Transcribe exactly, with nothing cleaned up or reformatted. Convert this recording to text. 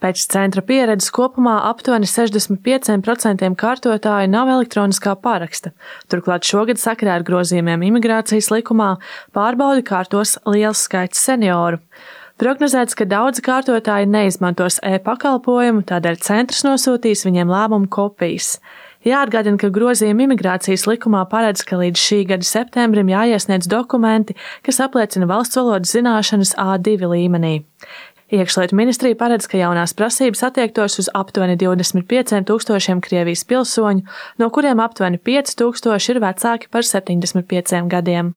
Pēc centra pieredzes kopumā aptuveni sešdesmit pieci procenti kārtotāju nav elektroniskā paraksta. Turklāt šogad sakarā ar grozījumiem imigrācijas likumā pārbaudi kārtos liels skaits senioru. Prognozēts, ka daudzi kārtotāji neizmantos e-pakalpojumu, tādēļ centrs nosūtīs viņiem lēmumu kopijas. Jāatgādina, ka grozījumi imigrācijas likumā paredz, ka līdz šī gada septembrim jāiesniedz dokumenti, kas apliecina valsts valodas zināšanas A divi līmenī. Iekšlietu ministrija paredz, ka jaunās prasības attiektos uz aptuveni divdesmit pieciem tūkstošiem Krievijas pilsoņu, no kuriem aptuveni pieci tūkstoši ir vecāki par septiņdesmit pieciem gadiem.